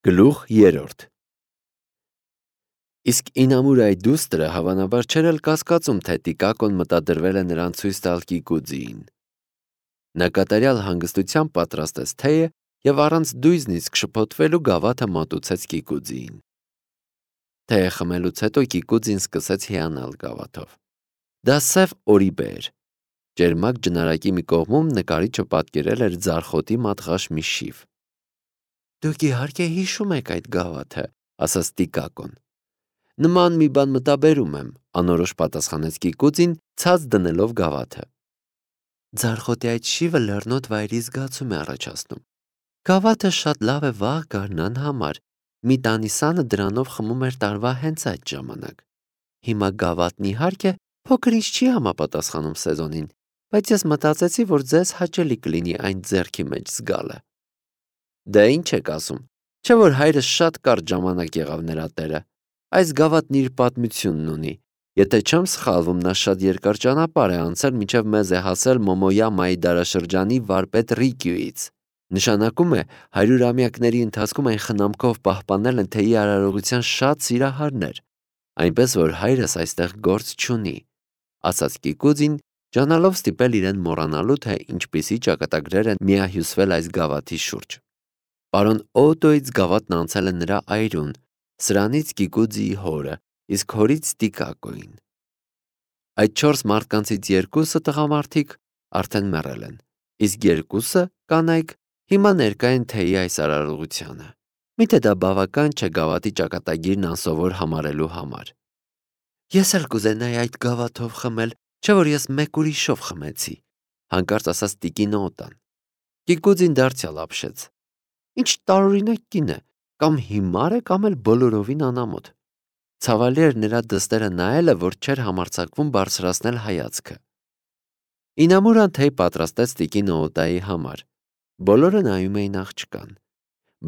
Գլուխ 3 Իսկ Ինամուրայի դուստրը հավանաբար չէր էլ կասկածում, թե Տիկակոն մտադրվել է նրան ցույց տալ Կիկուձիին։ Նա կատարյալ հանգստությամբ պատրաստեց թեյը և առանց դույզնից շփոթվելու գավաթը մատուցեց Կիկուձիին։ Թեյը խմելուց հետո Կիկուձին սկսեց հիանալ գավաթով։ Դա սև օրիբե էր։ Ճերմակ ջնարակի մի կողմում նկարիչը պատկերել էր ձարխոտի մատղաշ մի շիվ։ «Դուք իհարկե հիշում եք այդ գավաթը», ասաց Տիկակոն։ «Նման մի բան մտաբերում եմ», անորոշ պատասխանեց Կիկուձին, ցած դնելով գավաթը։ «Ձարխոտի այդ շիվը լեռնոտ վայրի զգացում է առաջացնում։ Գավաթը շատ լավ է վաղ գարնան համար։ Մի տանիսանը դրանով խմում էր տարվա հենց այդ ժամանակ։ Հիմա գավաթն իհարկե փոքր ինչ չի համապատասխանում սեզոնին, բայց ես մտածեցի, որ ձեզ հաճելի կլինի այն ձեռքի մեջ զգալը»։ «Դե ինչ եք ասում, չէ՞ որ հայրս շատ կարճ ժամանակ եղավ նրա տերը։ Այս գավաթն իր պատմությունն ունի։ Եթե չեմ սխալվում, նա շատ երկար ճանապարհ է անցել, մինչև մեզ է հասել Մոմոյամայի դարաշրջանի վարպետ Ռիկյուից։ Նշանակում է, 100-ամյակների ընթացքում այն խնամքով պահպանել են թեյի արարողության շատ սիրահարներ, այնպես որ հայրս այստեղ գործ չունի», ասաց Կիկուձին, ջանալով ստիպել իրեն մոռանալու, թե ինչպիսի ճակատագրեր են միահյուսվել այս գավաթի շուրջ։ Պարոն Օտոյից գավաթն անցել է նրա այրուն, սրանից Կիկուձիի հորը, իսկ հորից Տիկակոյին։ Այդ 4 մարդկանցից 2-ը տղամարդիկ արդեն մեռել են, իսկ 2-ը կանայք հիմա ներկա են թեյի այս արարողությանը։ Միթե դա բավական չէ գավաթի ճակատագիրն անսովոր համարելու համար։ «Ես էլ կուզենայի այդ գավաթով խմել, չէ՞ որ ես մեկ ուրիշով խմեցի», հանկարծ ասաց տիկին Օտան։ Կիկուձին դարձյալ ապշեց։ Ինչ տարօրինակ կին է, կամ հիմար է, կամ էլ բոլորովին անամոթ։ Ցավալի էր նրա դստերը նայելը, որ չէր համարձակվում բարձրացնել հայացքը։ Ինամուրան թեյ պատրաստեց տիկին Օտայի համար։ Բոլորը նայում էին աղջկան,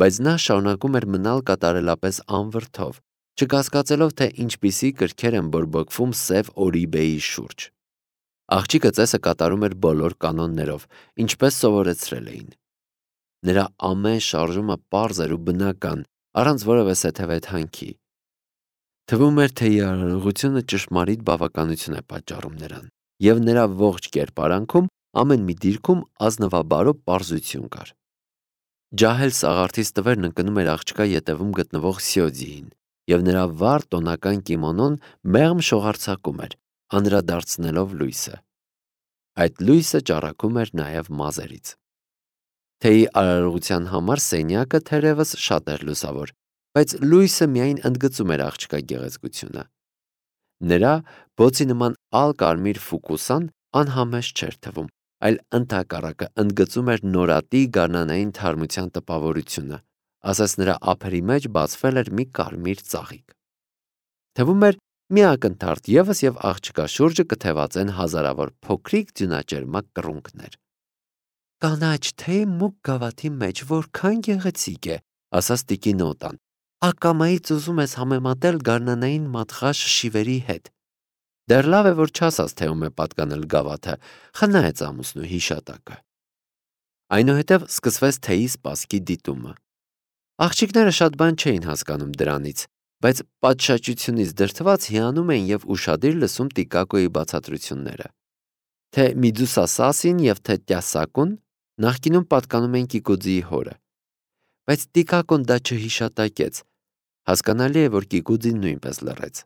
բայց նա շարունակում էր մնալ կատարելապես անվրդով, չկասկածելով, թե ինչպիսի կրքեր են բորբոքվում սև օրիբեի շուրջ։ Աղջիկը ծեսը կատարում էր բոլոր կանոններով, ինչպես սովորեցրել էին։ Նրա ամեն շարժումը պարզ էր ու բնական, առանց որևէ սեթևեթանքի։ Թվում էր, թե արարողությունը ճշմարիտ բավականություն է պատճառում նրան, և նրա ողջ կերպարանքում, ամեն մի դիրքում ազնվաբարո պարզություն կար։ Ջահել սաղարթից տվերն ընկնում էր աղջկա ետևում գտնվող Սյոձիին, և նրա վառ տոնական կիմոնոն մեղմ շողարցակում էր, անդրադարձնելով լույսը։ Այդ լույսը ճառագում էր նաև մազերից։ Թեյի արարողության համար սենյակը թերևս շատ էր լուսավոր, բայց լույսը միայն ընդգծում էր աղջկա գեղեցկությունը։ Նրա բոցի նման ալ-կարմիր ֆուկուսան անհամեստ չէր թվում, այլ ընդհակառակը ընդգծում էր նորատի գարնանային թարմության տպավորությունը, ասես նրա ափերի մեջ բացվել էր մի կարմիր ծաղիկ։ Թվում էր մի ակնթարթ ևս և աղջկա շուրջը կթևածեն հազարավոր փոքրիկ ձյունաճերմակ կռունկներ։ «Կանաչ թեյ մուգ գավաթի մեջ որքան գեղեցիկ է», ասաց տիկին Օտան։ «Ակամայից ուզում ես համեմատել գարնանային մատղաշ շիվերի հետ։ Դեռ լավ է, որ չասաց, թե ում է պատկանել գավաթը, խնայեց ամուսնու հիշատակը»։ Այնուհետև սկսվեց թեյի սպասքի դիտումը։ Աղջիկները շատ բան չէին հասկանում դրանից, բայց պատշաճությունից դրդված հիանում էին և ուշադիր լսում Տիկակոյի բացատրությունները։ Թե Միդուսա Սասին և թե Տյասակուն նախկինում պատկանում էին Կիկուձիի հորը։ Բայց Տիկակոն դա չհիշատակեց։ Հասկանալի է, որ Կիկուձին նույնպես լռեց։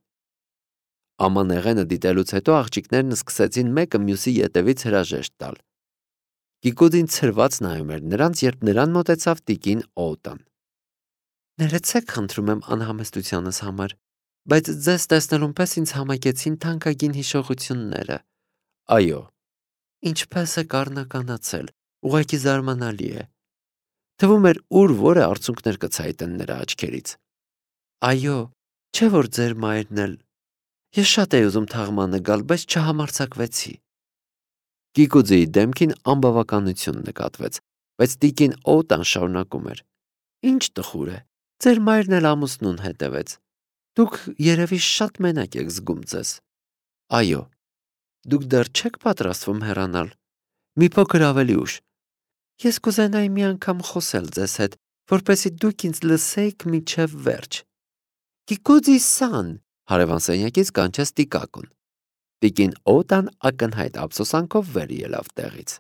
Ամանեղենը դիտելուց հետո աղջիկներն սկսեցին մեկը մյուսի ետևից հրաժեշտ տալ։ Կիկուձին ցրված նայում էր նրանց, երբ նրան մոտեցավ տիկին Օտան։ «Ներեցեք, խնդրում եմ անհամեստությանս համար, բայց ձեզ տեսնելուն պես ինձ համակեցին թանկագին հիշողությունները»։ «Այո»։ «Ինչպես եք առնականացել, ուղղակի զարմանալի է»։ Թվում էր ուր որը արցունքներ կցայտեն նրա աչքերից։ «Այո, չէ՞ որ ձեր մայրն էլ։ Ես շատ էի ուզում թաղմանը գալ, բայց չհամարձակվեցի»։ Կիկուձիի դեմքին անբավականություն նկատվեց, բայց տիկին Օտան շարունակում էր. «Ինչ տխուր է, ձեր մայրն էլ ամուսնուն հետևեց։ Դուք երևի շատ մենակ եք զգում ձեզ»։ «Այո»։ «Դուք դեռ չեք պատրաստվում հեռանալ»։ «Մի փոքր ավելի ուշ։ Ես կուզենայի մի անգամ խոսել ձեզ հետ, որպեսզի դուք ինձ լսեիք մինչև վերջ։ Կիկուձի սան, հարևան սենյակից կանչեց Տիկակոն։ Տիկին Օտան ակնհայտ ափսոսանքով վեր ելավ տեղից։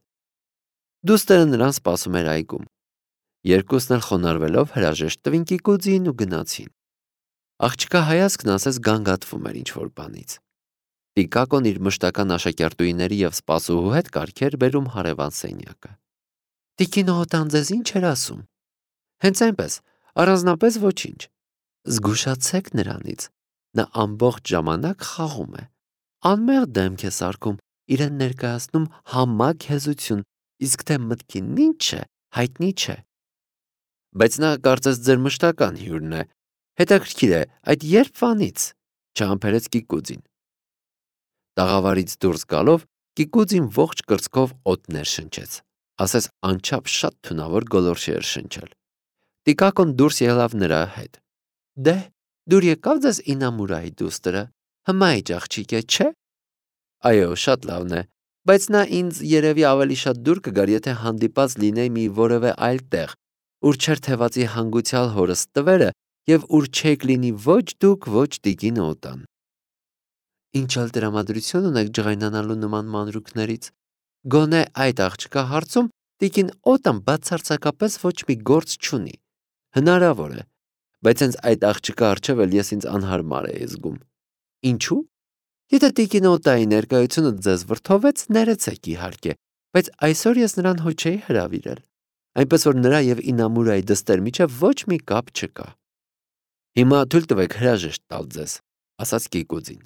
Դուստերը նրան սպասում էր այգում։ Երկուսն էլ խոնարհվելով հրաժեշտ տվին Կիկուձիին ու գնացին։ Աղջկա հայացքն ասես գանգատվում էր ինչ-որ բանից։ Տիկակոն իր մշտական աշակերտուհիների և սպասուհու հետ կարգեր բերում հարևան սենյակը։ Տիկին Օտան ձեզ ինչ էր ասում։ Հենց այնպես, առանձնապես ոչինչ։ Զգուշացեք նրանից, նա ամբողջ ժամանակ խաղում է, անմեղ դեմք է սարքում, իրեն ներկայացնում համակ հեզություն, իսկ թե մտքին ինչ է, հայտնի չէ։ Բայց նա կարծես ձեր մշտական հյուրն է, հետաքրքիր է, այդ երբ վանից, չհամբերեց Կիկուձին։ Տաղավարից դուրս գալով Կիկուձին ողջ կրծքով օդներ շնչեց, ասես անչափ շատ թունավոր գոլորշի էր շնչել։ Տիկակոն դուրս ելավ նրա հետ։ Դե, դուր եկավ ձեզ Ինամուրայի դուստրը, հմայիչ աղջիկ է, չէ։ Այո, շատ լավն է, բայց նա ինձ երևի ավելի շատ դուր կգար, եթե հանդիպած լինեի մի որևէ այլ տեղ, ուր չէր թևածի հանգուցյալ հորս տվերը և ուր չեք լինի ոչ դուք, ոչ տիկին Օտան։ Ինչ էլ տրամադրություն ունեք ջղայնանալու նման մանրուքներից։ Գոնե այդ աղջկա հարցում տիկին Օտան բացարձակապես ոչ մի գործ չունի։ Հնարավոր է, բայց հենց այդ աղջկա առջև էլ ես ինձ անհարմար էի զգում։ Ինչու՞։ Եթե տիկին Օտայի ներկայությունը ձեզ վրդովեց, ներեցեք իհարկե, բայց այսօր ես նրան հո չէի հրավիրել, այնպես որ նրա և Ինամուրայի դստեր միջև ոչ մի կապ չկա։ Հիմա թույլ տվեք հրաժեշտ տալ ձեզ, ասաց Կիկուձին։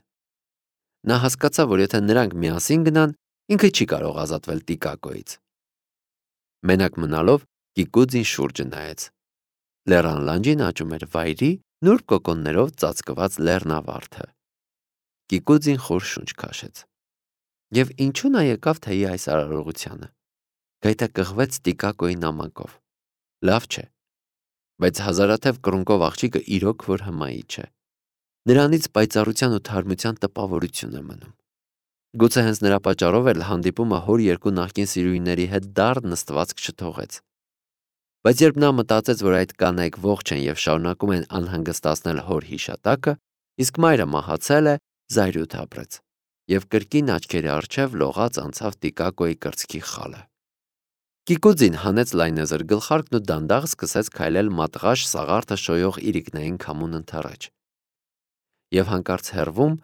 Նա հասկացավ, որ եթե նրանք միասին գնան, ինքը չի կարող ազատվել Տիկակոյից։ Մենակ մնալով Կիկուձին շուրջը նայեց։ Լեռան լանջին աճում էր վայրի նուրբ կոկոններով ծածկված լեռնավարդը։ Կիկուձին խոր շունչ քաշեց։ Եվ ինչու նա եկավ թեյի այս արարողությանը։ Գայթակղվեց Տիկակոյի նամակով։ Լավ չէ, բայց հազարաթև կռունկով աղջիկը իրոք որ հմայիչ է։ Նրանից պայծառության ու թարմության տպավորություն է մնում։ Գուցե հենց նրա պատճառով էլ հանդիպումը հոր երկու նախկին սիրուհիների հետ դառն նստվածք չթողեց։ Բայց երբ նա մտածեց, որ այդ կանայք ողջ են և շարունակում են անհանգստացնել հոր հիշատակը, իսկ մայրը մահացել է, զայրույթ ապրեց, և կրկին աչքերի առջև լողաց անցավ Տիկակոյի կրծքի խալը։ Կիկուձին հանեց լայնեզր գլխարկն ու դանդաղ սկսեց քայլել մատղաշ սաղարթը շոյող իրիկնային քամուն ընդառաջ։ Եվ հանկարծ հեռվում,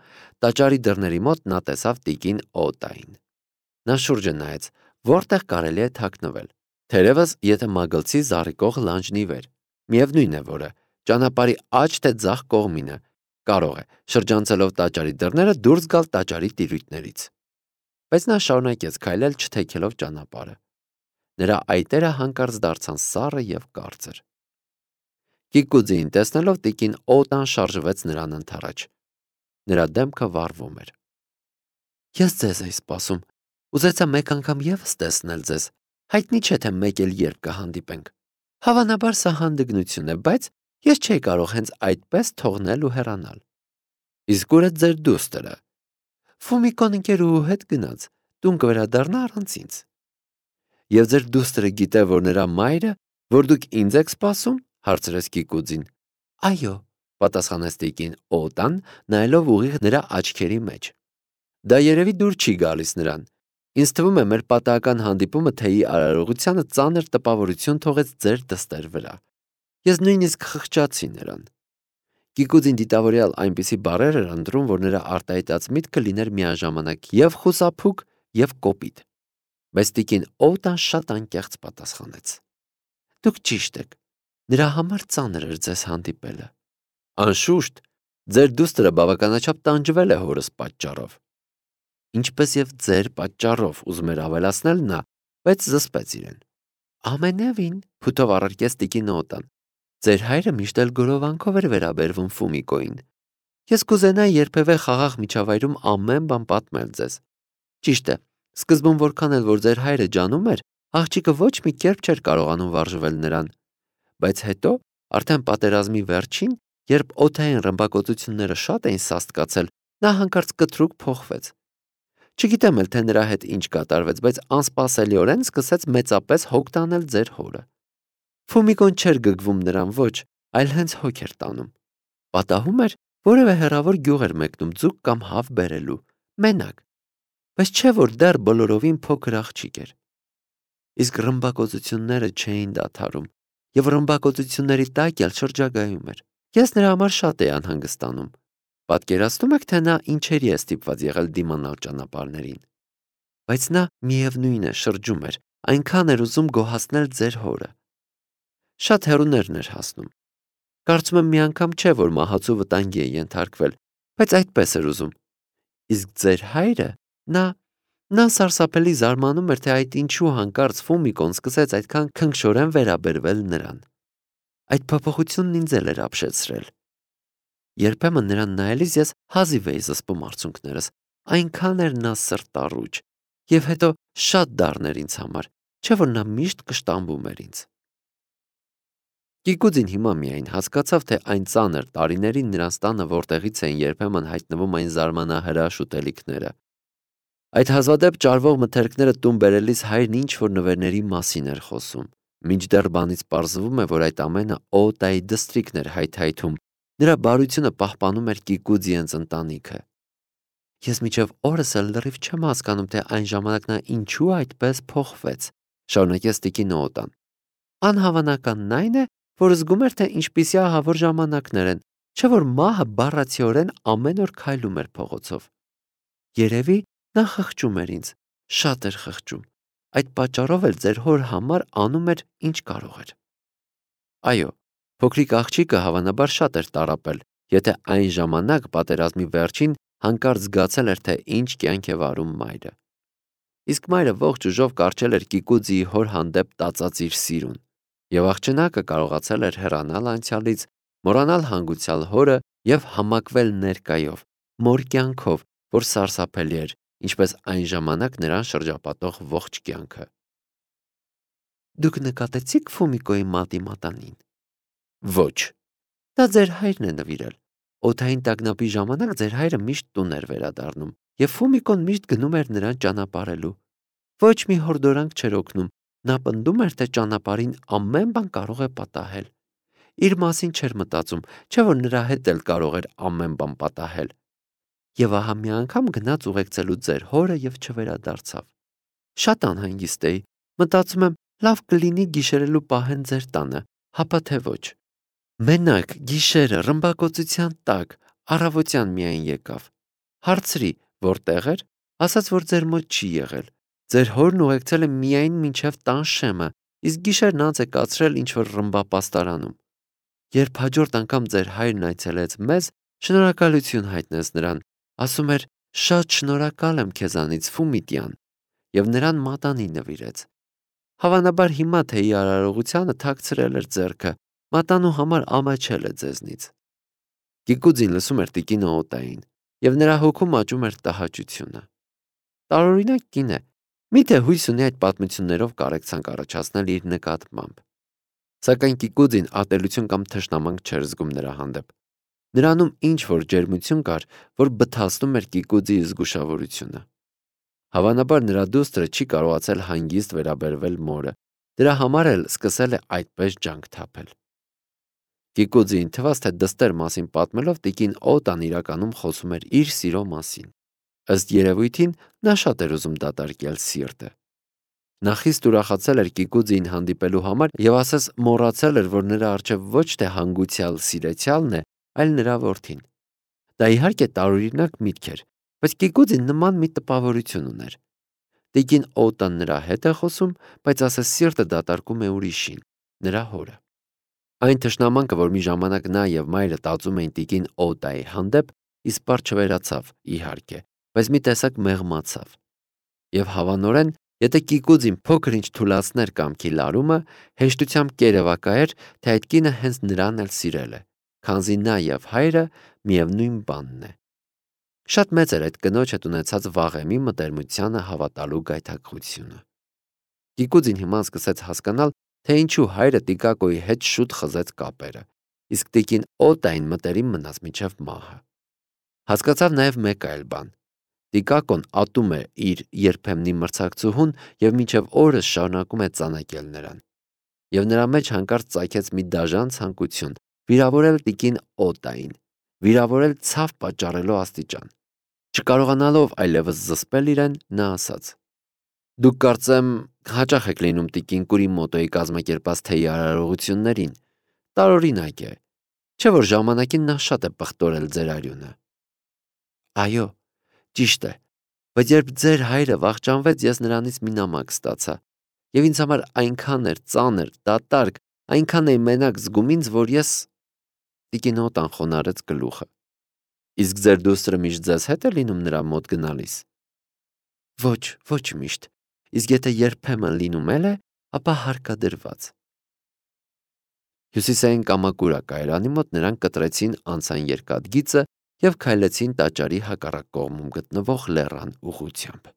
տաճարի դռների մոտ նա տեսավ տիկին Օտային։ Նա շուրջը նայեց, որտեղ կարելի է թաքնվել, թերևս եթե մագլցի զառիկող լանջն ի վեր, միևնույն է որը, ճանապարհի աջ թե ձախ կողմինը, կարող է, շրջանցելով տաճարի դռները, դուրս գալ տաճարի տիրույթներից։ Բայց նա շարունակեց քայլել, չթեքելով ճանապարհը։ Նրա այտերը հանկարծ դարձան սառը և կարծր։ Կիկուձին տեսնելով տիկին Օտան շարժվեց նրան ընդառաջ։ Նրա դեմքը վառվում էր։ Ես ձեզ էի սպասում, ուզեցա մեկ անգամ ևս տեսնել ձեզ, հայտնի չէ թե մեկ էլ երբ կհանդիպենք։ Հավանաբար սա հանդգնություն է, բայց ես չէի կարող հենց այդպես թողնել ու հեռանալ։ Իսկ ուր է ձեր դուստրը։ Ֆումիկոն ընկերուհու հետ գնաց, տուն կվերադառնա առանց ինձ։ Եվ ձեր դուստրը գիտե, որ նրա մայրը, որ դուք ինձ եք սպասում, հարցրեց Կիկուձին։ Այո, պատասխանեց տիկին Օտան, նայելով ուղիղ նրա աչքերի մեջ։ Դա երևի դուր չի գալիս նրան։ Ինձ թվում է, մեր պատահական հանդիպումը թեյի արարողությանը ծանր տպավորություն թողեց ձեր դստեր վրա։ Ես նույնիսկ խղճացի նրան։ Կիկուձին դիտավորյալ այնպիսի բառեր էր ընտրում, որ նրա արտահայտած միտքը լիներ միաժամանակ և խուսափուկ, և կոպիտ։ Բայց տիկին Օտան շատ անկեղծ պատասխանեց. Դուք ճիշտ եք, նրա համար ծանր էր ձեզ հանդիպելը։ Անշուշտ, ձեր դուստրը բավականաչափ տանջվել է հորս պատճառով։ Ինչպես և ձեր պատճառով, ուզում էր ավելացնել նա, բայց զսպեց իրեն։ Ամենևին, փութով առարկեց տիկին Օտան, ձեր հայրը միշտ էլ գորովանքով էր վերաբերվում Ֆումիկոյին։ Ես կուզենայի երբևէ խաղաղ միջավայրում ամեն բան պատմել ձեզ։ Ճիշտ է, սկզբում որքան էլ որ ձեր հայրը ջանում էր, աղջիկը ոչ մի կերպ չէր կարողանում վարժվել նրան։ Բայց հետո, արդեն պատերազմի վերջին, երբ օդային ռմբակոծությունները շատ էին սաստկացել, նա հանկարծ կտրուկ փոխվեց։ Չգիտեմ էլ, թե նրա հետ ինչ կատարվեց, բայց անսպասելիորեն սկսեց մեծապես հոգ տանել ձեր հորը։ Ֆումիկոն չէր գգվում նրան ոչ, այլ հենց հոգ էր տանում։ Պատահում էր, որևէ հեռավոր գյուղ էր մեկնում ձուկ կամ հավ բերելու, մենակ, բայց չէ որ դեռ բոլորովին փոքր աղջիկ էր։ Իսկ ռմբակոծությունները չէին դադարում, եւ ռմբակոծությունների տակ էլ շրջագայում էր։ Ես նրա համար շատ էի անհանգստանում։ Պատկերացնում եք, թե նա ինչերի է ստիպված եղել դիմանալ ճանապարհներին։ Բայց նա միևնույն է շրջում էր, այնքան էր ուզում գոհացնել ձեր հորը։ Շատ հեռուներն էր հասնում։ Կարծում եմ մի անգամ չէ, որ մահացու վտանգի է ենթարկվել, բայց այդպես էր ուզում։ Իսկ ձեր հայրը, նա սարսափելի զարմանում էր, թե այդ ինչու հանկարծ Ֆումիկոն սկսեց այդքան քնքշորեն վերաբերվել նրան։ Այդ փոփոխությունն ինձ էլ էր ապշեցրել։ Երբեմն նրան նայելիս ես հազիվ էի զսպում արցունքներս, այնքան էր նա սրտառուչ, եւ հետո շատ դառն էր ինձ համար, չէ որ նա միշտ կշտամբում էր ինձ։ Կիկուձին հիմա միայն հասկացավ, թե այն ծանր տարիներին նրանց տանը որտեղից էին երբեմն հայտնվում այն զարմանահրաշ ուտելիքները։ Այդ հազվադեպ ճարվող մթերքները տուն բերելիս հայրն ինչ-որ նվերների մասին էր խոսում, մինչդեռ բանից պարզվում է, որ այդ ամենը Օտայի դստրիկն էր հայթայթում, նրա բարությունը պահպանում էր Կիկուձիենց ընտանիքը։ Ես մինչև օրս էլ լրիվ չեմ հասկանում, թե այն ժամանակ նա ինչու այդպես փոխվեց, շարունակեց տիկին Օտան։ Անհավանականն այն է, որ զգում էր, թե ինչպիսի ահավոր ժամանակներ են, չէ որ մահը բառացիորեն ամեն օր քայլում էր փողոցով։ Երևի նա խղճում էր ինձ, շատ էր խղճում։ Այդ պատճառով էլ ձեր հոր համար անում էր ինչ կարող էր։ Այո, փոքրիկ աղջիկը հավանաբար շատ էր տառապել, եթե այն ժամանակ պատերազմի վերջին հանկարծ զգացել էր, թե ինչ կյանք է վարում մայրը։ Իսկ մայրը ողջ ուժով կառչել էր Կիկուձիի հոր հանդեպ տածած իր սիրուն, եւ աղջնակը կարողացել էր հեռանալ անցյալից, մոռանալ հանգուցյալ հորը եւ համակվել ներկայով, մոր կյանքով, որ սարսափելի էր, ինչպես այն ժամանակ նրան շրջապատող ողջ կյանքը։ Դուք նկատեցիք Ֆումիկոյի մատի մատանին։ Ոչ։ Դա ձեր հայրն է նվիրել։ Օդային տագնապի ժամանակ ձեր հայրը միշտ տուն էր վերադառնում, եւ Ֆումիկոն միշտ գնում էր նրան ճանապարհելու։ Ոչ մի հորդորանք չէր օգնում, նա պնդում էր, թե ճանապարհին ամեն բան կարող է պատահել։ Իր մասին չէր մտածում, չէ որ նրա հետ էլ կարող էր ամեն բան պատահել։ Եվ ահա մի անգամ գնաց ուղեկցելու ձեր հորը եւ չվերադարձավ։ Շատ անհանգիստ էի, մտածում եմ, լավ կլինի գիշերելու պահեն ձեր տանը, հապա թե ոչ։ Մենակ գիշերը ռմբակոծության տակ առավոտյան միայն եկավ։ Հարցրի, որտեղ էր, ասաց, որ ձեր մոտ չի եղել։ Ձեր հորն ուղեկցել է միայն մինչև տան շեմը, իսկ գիշերն անց է կացրել ինչ-որ ռմբապաստարանում։ Երբ հաջորդ անգամ ձեր հայրն այցելեց մեզ, շնորհակալություն հայտնեց նրան, ասում էր. «Շատ շնորհակալ եմ քեզանից, Ֆումիտյան», եւ նրան մատանի նվիրեց։ Հավանաբար հիմա թեյի արարողությանը թաքցրել էր ձեռքը, մատանու համար ամաչել է ձեզնից։ Կիկուձին լսում էր տիկին Օտային, եւ նրա հոգում աճում էր տհաճությունը։ Տարօրինակ կին է, միթե հույս ունի այդ պատմություններով կարեկցանք առաջացնել իր նկատմամբ։ Սակայն Կիկուձին ատելություն կամ թշնամանք չէր զգում նրա հանդեպ։ Նրանում ինչ-որ ջերմություն կար, որ բթացնում էր Կիկուձիի զգուշավորությունը։ Հավանաբար նրա դուստրը չի կարողացել հանգիստ վերաբերվել մորը, դրա համար էլ սկսել է այդպես ջանք թափել։ Կիկուձիին թվաց, թե դստեր մասին պատմելով տիկին Օտան իրականում խոսում էր իր սիրո մասին։ Ըստ երևույթին նա շատ էր ուզում դատարկել սիրտը։ Նա խիստ ուրախացել էր Կիկուձիին հանդիպելու համար եւ ասես մոռացել էր, որ նրա առջեւ ոչ թե հանգուցյալ սիրեցյալն է, այլ նրա որդին։ Դա իհարկե տարօրինակ միտք էր, բայց Կիկուձին նման մի տպավորություն ուներ։ Տիկին Օտան նրա հետ է խոսում, բայց ասես սիրտը դատարկում է ուրիշին, նրա հորը։ Այն թշնամանքը, որ մի ժամանակ նա եւ մայրը տածում էին տիկին Օտայի հանդեպ, իսպառ չվերացավ, իհարկե, բայց մի տեսակ մեղմացավ։ Եվ հավանորեն, եթե Կիկուձին փոքր-ինչ թուլացներ կամքի լարումը, հեշտությամբ կերևակայեր, թե այդ կինը հենց նրան էլ սիրել է, քանզի նա եւ հայրը միևնույն բանն է։ Շատ մեծ էր այդ կնոջ հետ ունեցած վաղեմի մտերմությանը հավատալու գայթակղությունը։ Կիկուձին հիմա սկսեց հասկանալ, թե ինչու հայրը Տիկակոյի հետ շուտ խզեց կապերը, իսկ տիկին Օտային մտերիմ մնաց մինչև մահը։ Հասկացավ նաև մեկ այլ բան. Տիկակոն ատում է իր երբեմնի մրցակցուհուն եւ մինչև օրս շարունակում է ծանակել նրան։ և նրա մեջ հանկարծ ծագեց մի դաժան ցանկություն վիրավորել տիկին Օտային, վիրավորել ցավ պատճառելու աստիճան։ Չկարողանալով այլևս զսպել իրեն, նա ասաց. «Դուք կարծեմ հաճախ եք լինում տիկին Կուրիմոտոյի կազմակերպած թեյի արարողություններին, տարօրինակ է, չէ՞ որ ժամանակին նա շատ է պղտորել ձեր արյունը»։ «Այո, ճիշտ է, բայց երբ ձեր հայրը վախճանվեց, ես նրանից մի նամակ ստացա, և ինձ համար այնքան էր ծանր, դատարկ, այնքան էի մենակ զգում ինձ, որ ես…» Տիկին Օտան խոնարհեց գլուխը։ «Իսկ ձեր դուստրը միշտ ձեզ հետ է լինում նրա մոտ գնալիս»։ Ոչ միշտ, իսկ եթե երբեմն լինում էլ է, ապա հարկադրված։ Հյուսիսային Կամակուրա կայարանի մոտ նրանք կտրեցին անցան երկաթգիծը և քայլեցին տաճարի հակառակ կողմում գտնվող լեռան ուղղությամբ։